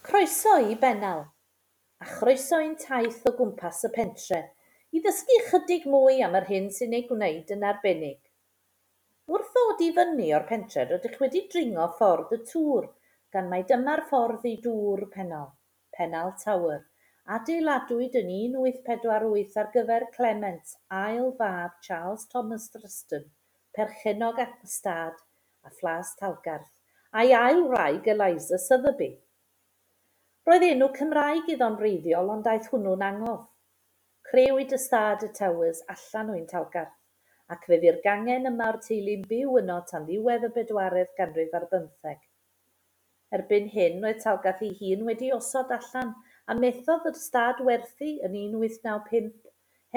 Croeso i Bennal, a chroeso i'n taith o gwmpas y pentre, i ddysgu chydig mwy am yr hyn sy'n ei gwneud yn arbennig. Wrth ddod i fyny o'r pentre rydych wedi dringo ffordd y tŵr, gan mai dyma'r ffordd i Dŵr Pennal, Pennal Tower, adeiladwyd yn 1848 ar gyfer Clement, ail fab Charles Thomas Thruston, perchennog ystâd a Phlas Talgarth, a'i ail wraig Eliza Sotheby. Roedd enw Cymraeg iddo'n wreiddiol ond aeth hwnnw'n angof. Crëwyd ystâd y Towers allan o un Talgarth, ac fe fu'r gangen yma o'r teulu'n byw yno tan ddiwedd y bedwaredd ganrif ar bymtheg. Erbyn hyn roedd Talgarth ei hun wedi osod allan a methodd yr ystâd werthu yn 1895,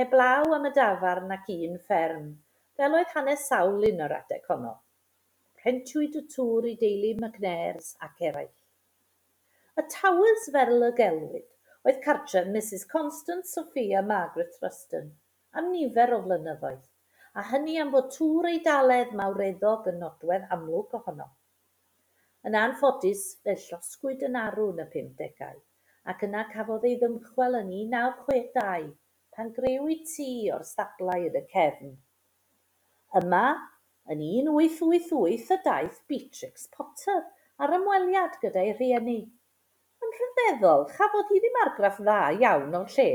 heblaw am y dafarn ac un fferm, fel oedd hanes sawl un o'r adeg honno. Rhentiwyd y tŵr i deulu McNairs ac eraill. Y Towers fel y gelwid oedd cartref Mrs Constance Sophia Margaret Thruston am nifer o flynyddoedd, a hynny am fod tŵr Eidalaidd mawreddog yn nodwedd amlwg ohono. Yn anffodus, fe llosgwyd yn arw yn y 50au, ac yna cafodd ei ddymchwel yn 1962 pan grëwyd tŷ o'r stablau yn y cefn. Yma, yn 1888 y daeth Beatrix Potter ar ymweliad gyda'i rhieni. Yn rhyfeddol, chafodd hi ddim argraff dda iawn o'r lle,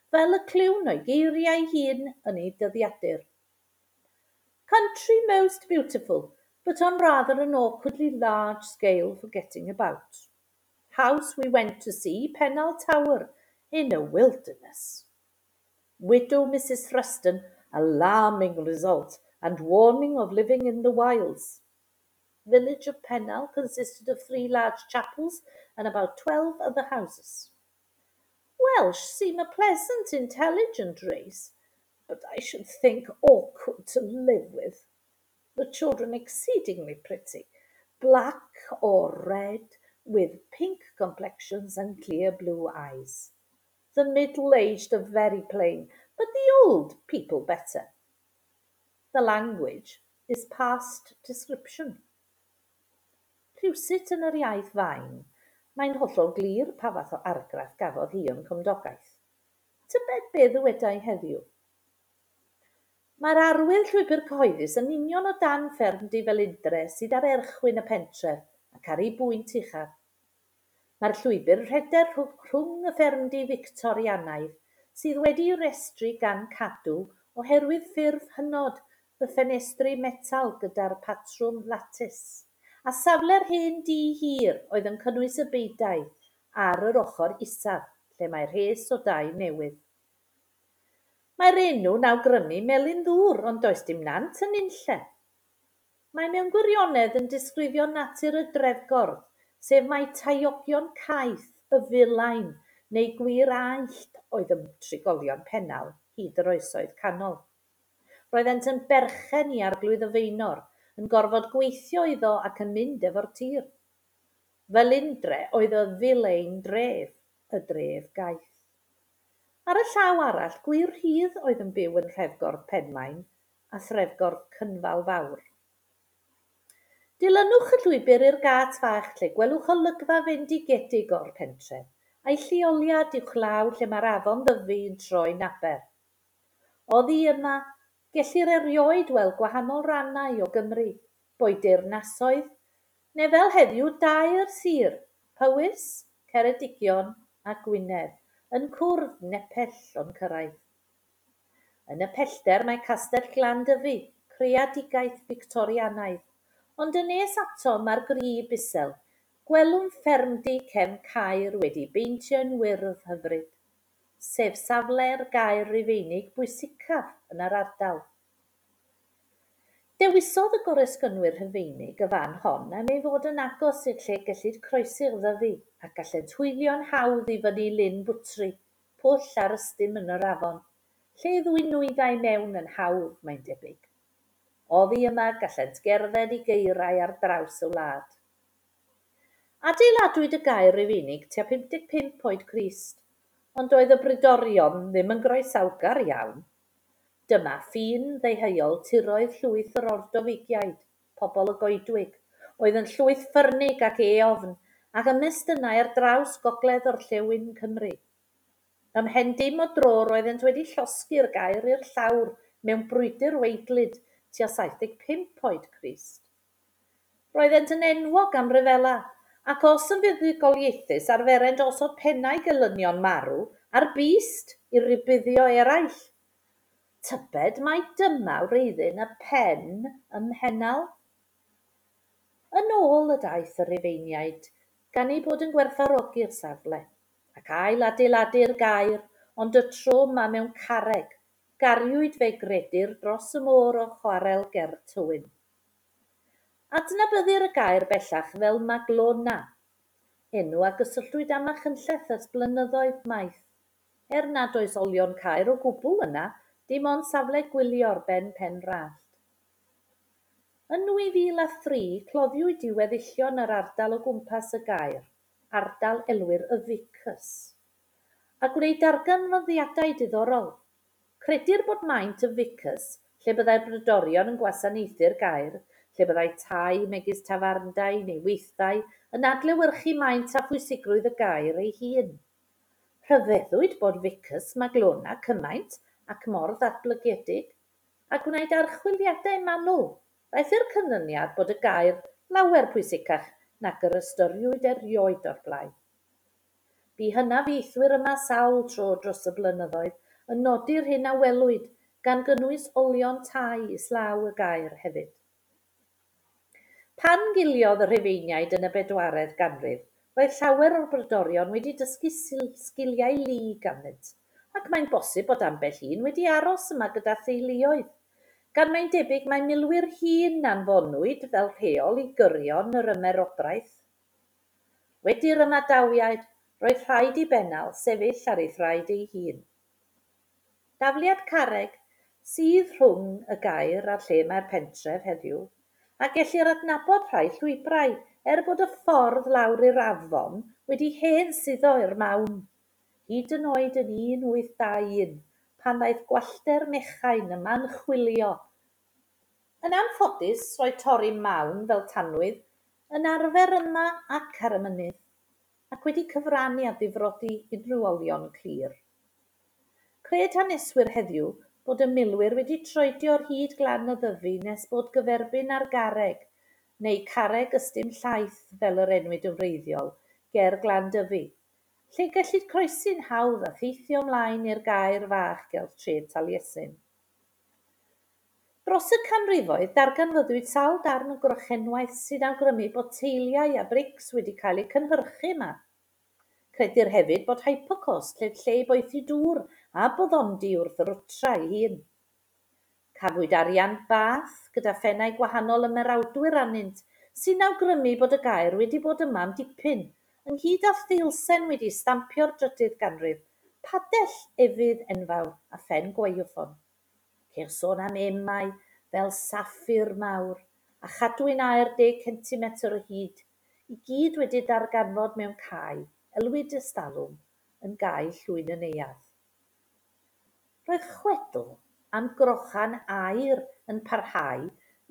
fel y clywn o'i geiriau hun yn ei dyddiadur. Country most beautiful, but on rather an awkwardly large scale for getting about. House we went to see, Pennal Tower, in a wilderness. Widow Mrs. Thruston, alarming result, and warning of living in the wilds. Village of Pennal consisted of 3 large chapels and about 12 other houses. Welsh seem a pleasant, intelligent race, but I should think awkward to live with. The children exceedingly pretty, black or red, with pink complexions and clear blue eyes. The middle-aged are very plain, but the old people better. The language is past description. Rhywsut yn yr iaith fain, mae'n hollol glir pa fath o argraff gafodd hi o'n cymdogaeth. Tybed be ddywedai heddiw? Mae'r arwydd llwybr cyhoeddus yn union o dan ffermdy Felindre sydd ar erchwyn y pentref ac ar ei bwynt uchaf. Mae'r llwybr rhedeg rhwng y ffermdy Fictorianaidd sydd wedi'i restru gan Cadw oherwydd ffurf hynod y ffenestri metal gyda'r patrwm lattice, a safle'r hen dŷ hir oedd yn cynnwys y beudai ar yr ochr isaf lle mae rhes o dai newydd. Mae'r enw'n awgrymu melin ddŵr ond does dim nant yn unlle. Mae mewn gwirionedd yn disgrifio natur y drefgordd, sef mai taeogion caeth, y filain neu gwir aellt oedd y trigolion Pennal hyd yr oesoedd canol. Roeddent yn berchen i arglwydd y Faenor, yn gorfod gweithio iddo ac yn mynd efo'r tir. Felindre oedd y filein dref, y dref gaeth. Ar y llaw arall, gwir rhydd oedd yn byw yn Nhrefgordd Penmaen a Threfgordd Cynfal Fawr. Dilynwch y llwybr i'r gât fach lle gwelwch olygfa fendigedig o'r pentref, a'i lleoliad uwchlaw lle mae'r afon Ddyfi yn troi'n aber. Oddi yma, gellir erioed weld gwahanol rannau o Gymru, boed deyrnasoedd, neu fel heddiw dair sir, Powys, Ceredigion a Gwynedd, yn cwrdd nepell o'n cyrraedd. Yn y pellter mae Castell Glan Dyfi, creadigaeth Fictorianaidd, ond yn nes ato mae'r grib isel, gwelwn ffermdy cefn Caer wedi beintio'n wyrdd hyfryd, sef safle'r gaer Rufeinig bwysicaf yn yr ardal. Dewisodd y goresgynwyr Rhufeinig y fan hon am ei fod yn agos i'r lle gellid croesi'r Ddyfi a gallent hwylio'n hawdd i fyny Lyn Bwtri, pwll ar ystum yn yr afon, lle i ddwyn nwyddau mewn yn hawdd, mae'n debyg. Oddi yma gallent gerdded i gaerau ar draws y wlad. Adeiladwyd y gaer Rufeinig tua 55 oed Crist, ond doedd y brodorion ddim yn groesawgar iawn. Dyma ffin ddeheuol tiroedd llwyth yr Ordofeigiaid, pobl y goedwig, oedd yn llwyth ffyrnig ac eofn, ac ymestynnai ar draws gogledd-orllewin Cymru. Ymhen dim o dro roeddent wedi llosgi'r gaer i'r llawr mewn brwydr waedlyd tua 75 oed Crist. Roeddent yn enwog am ryfela, ac os yn fuddugoliaethus arferent osod pennau gelynion marw ar byst i rybuddio eraill. Tybed mai dyma wreiddyn y pen ym Mhennal? Yn ôl y daeth y Rhufeiniaid, gan eu bod yn gwerthfawrogi'r safle, ac ail-adeiladu'r gaer, ond y tro 'ma mewn carreg, gariwyd fe gredir dros y môr o chwarel ger Tywyn. Adnabyddir y gaer bellach fel Maglona, enw a gysylltwyd â Machynlleth ers blynyddoedd maith, er nad oes olion caer o gwbl yna, dim ond safle gwylio ar ben Pen Rallt. Yn 2003, cloddiwyd i weddillion yr ardal o gwmpas y gaer, ardal elwir y Vicus, a gwneud darganfyddiadau diddorol. Credir bod maint y Vicus, lle byddai'r brodorion yn gwasanaethu'r gaer, lle byddai tai megis tafarndai neu weithdai yn adlewyrchu maint a phwysigrwydd y gaer ei hun. Rhyfeddwyd bod Vicus Maglona cymaint ac mor ddatblygedig, a gwnaed archwiliadau manwl, ddaeth i'r canlyniad bod y gaer lawer pwysicach nag yr ystyriwyd erioed o'r blaen. Bu hynafiaethwyr yma sawl tro dros y blynyddoedd yn nodi'r hyn a welwyd, gan gynnwys olion tai islaw y gaer hefyd. Pan giliodd y Rhufeiniaid yn y bedwaredd ganrif, roedd llawer o'r brodorion wedi dysgu sgiliau lu ganddynt, ac mae'n bosib bod ambell un wedi aros yma gyda theuluoedd, gan mae'n debyg mai milwyr hŷn anfonwyd fel rheol i gyrion yr ymerodraeth. Wedi'r ymadawiad, roedd rhaid i Bennal sefyll ar ei thraed ei hun. Dafliad carreg sydd rhwng y gaer a'r lle mae'r pentref heddiw, a gellir adnabod rhai llwybrau, er bod y ffordd lawr i'r afon wedi hen suddo i'r mawn, hyd yn oed yn 1821, pan ddaeth gwallter Mechain yma'n chwilio. Yn anffodus, roedd torri mawn fel tanwydd yn arfer yma ac ar y mynydd, ac wedi cyfrannu at ddifrodi unrhyw olion clir. Cred haneswyr heddiw bod y milwyr wedi troedio ar hyd glan y Ddyfi nes bod gyferbyn â'r garreg, neu Carreg Ystum Llaeth fel yr enwyd yn wreiddiol, ger Glan Dyfi, lle gellid croesi'n hawdd a theithio ymlaen i'r gaer fach ger tref Taliesin. Dros y canrifoedd, darganfyddwyd sawl darn o grochenwaith sy'n awgrymu bod teiliau a brics wedi cael eu cynhyrchu yma. Credir hefyd bod hypocaust, sef lle i boethi dŵr, a boddondi wrth yr wtra ei hun. Cafwyd arian Bath gyda phennau gwahanol ymerawdwyr arnynt, sy'n awgrymu bod y gaer wedi bod yma am dipyn, ynghyd â theilsen wedi stampio'r drydydd ganrif, padell efydd enfawr a phen gwaywffon. Ceir sôn am emau fel saffir mawr a chadwyn aer deg centimetr o hyd, i gyd wedi darganfod mewn cae, elwid ystalwm, yn gae Llwyn y Neuadd. Roedd chwedl am grochan aur yn parhau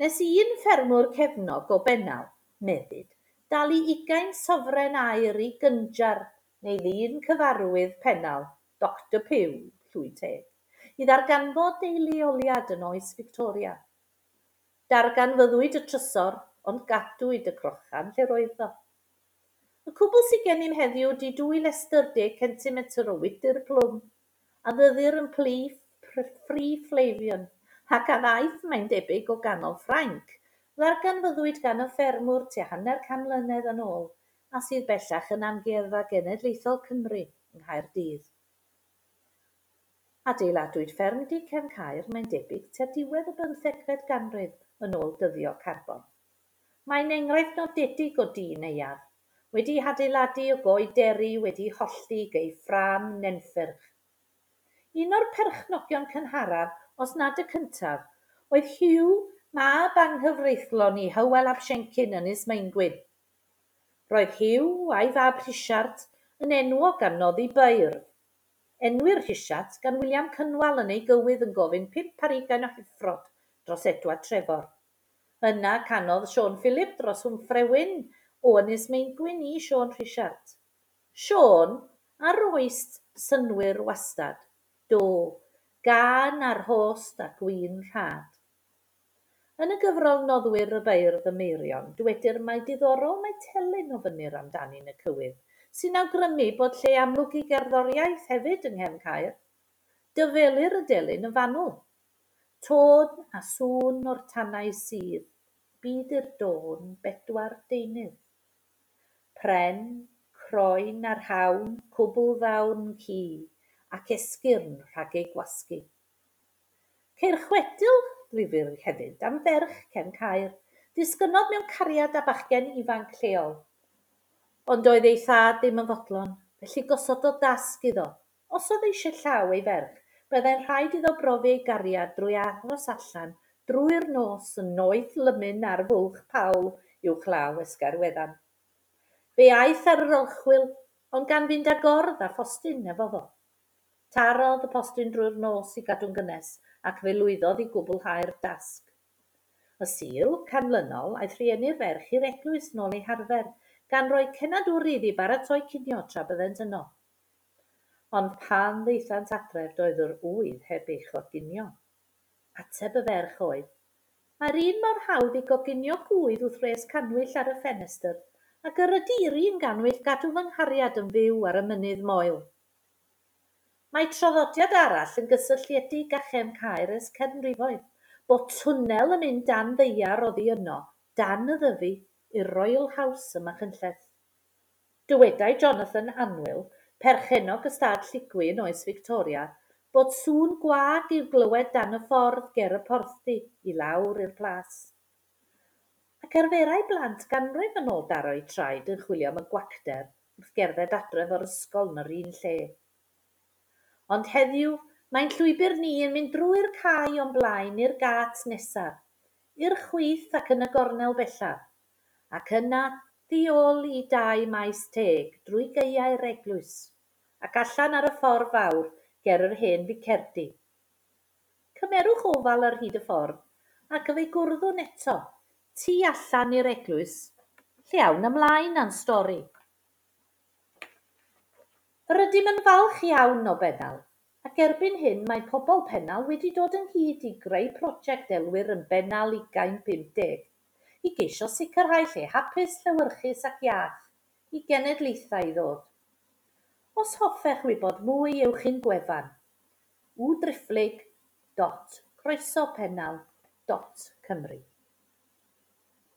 nes i un ffermwr cefnog o Bennal, meddid, dalu ugain sofren aur i gynjar neu ddyn cyfarwydd Pennal, Doctor Pugh, llwy teg, i ddarganfod ei leoliad yn oes Victoria. Darganfyddwyd y trysor, ond gadwyd y crochan lle roedd o. Y cwbl sydd gennym heddiw ydy dwy lestr deg centimetr o wydr plwm, a ddyddir yn plu Free Flavian, ac a ddaeth, mae'n debyg, o ganol Ffrainc, ddarganfyddwyd gan y ffermwr tua hanner can mlynedd yn ôl, a sydd bellach yn Amgueddfa Genedlaethol Cymru yng Nghaerdydd. Adeiladwyd ffermdy Cefn Caer, mae'n debyg, tua diwedd y bymthegfed ganrif yn ôl dyddio carbon. Mae'n enghraifft nodedig o dŷ neuadd, wedi'i hadeiladu o goed deri wedi'i hollti gei ffrâm nenffyrch. Un o'r perchnogion cynharaf, os nad y cyntaf, oedd Hugh, mab anghyfreithlon i Hywel ap Siencyn Ynys Maengwyn. Roedd Hugh a'i fab Rhisiart yn enwog am noddi beirdd. Enwir Rhisiart gan William Cynwal yn ei gywydd yn gofyn pump ar ugain o heffrod dros Edward Trefor. Yna canodd Siôn Phylip dros Wmffre Wyn O Ynys Maengwyn i Siôn Rhisiart. Siôn, a roist synnwyr wastad, do, gân a rhost a gwin rhad. Yn y gyfrol Noddwyr y Beirdd y Meirion, dwedir mai diddorol mai telyn ofynnir amdani yn y cywydd, sy'n awgrymu bod lle amlwg i gerddoriaeth hefyd yng Nghefn Caer. Dyfelir y delyn yn fanwl. Tôn a sŵn o'r tannau sydd, byd i'r dôn bedwar deunydd. Pren, croen a rhawn, cwbl ddawn ci, ac esgyrn rhag ei gwasgu. Ceir chwedl ddifyr hefyd am ferch Cefn Caer, ddisgynnodd mewn cariad â bachgen ifanc lleol. Ond doedd ei thad ddim yn fodlon, felly gosododd dasg iddo. Os oedd eisiau llaw ei ferch, byddai'n rhaid iddo brofi ei gariad drwy aros allan drwy'r nos yn noeth lymun ar Fwlch Pawl uwchlaw Esgair Weddan. Fe aeth ar yr orchwyl, ond gan fynd â gordd a phostyn efo fo. Tarodd y postyn drwy'r nos i gadw'n gynnes, ac fe lwyddodd i gwblhau'r dasg. Y Sul canlynol, aeth rhieni'r ferch i'r eglwys nôl ei harfer, gan roi cenadwri iddi baratoi cinio tra byddent yno. Ond pan ddaethant adref doedd yr ŵydd heb ei choginio. Ateb y ferch oedd, Mae'r un mor hawdd i goginio gŵydd wrth wres cannwyll ar y ffenestr ag yr ydy i'r un gannwyll gadw fy nghariad yn fyw ar y mynydd moel. Mae traddodiad arall yn gysylltiedig â Chefn Caer ers canrifoedd, bod twnnel yn mynd dan ddaear oddi yno, dan y Ddyfi, i'r Royal House ym Machynlleth. Dywedai Jonathan Anwyl, perchennog ystâd Lligwy yn oes Victoria, bod sŵn gwag i'w glywed dan y ffordd ger y porthdy i lawr i'r plas. Ac arferai blant ganrif yn ôl daro eu traed yn chwilio am y gwacter wrth gerdded adref o'r ysgol yn yr un lle. Ond heddiw, mae'n llwybr ni yn mynd drwy'r cae o'n blaen i'r gât nesaf, i'r chwith ac yn y gornel bellaf, ac yna tu ôl i dai Maes Teg drwy gaeau'r eglwys, ac allan ar y ffordd fawr ger yr hen ficerdy. Cymerwch ofal ar hyd y ffordd, ac fe'i gwrddwn eto, tu allan i'r eglwys, lle awn ymlaen â'n stori. Yr ydym yn falch iawn o Bennal, ac erbyn hyn mae pobl Pennal wedi dod ynghyd i greu prosiect elwir yn Bennal 2050, i geisio sicrhau lle hapus, llewyrchus ac iach i genedlaethau i ddod. Os hoffech wybod mwy, ewch i'n gwefan www.croesopennal.cymru.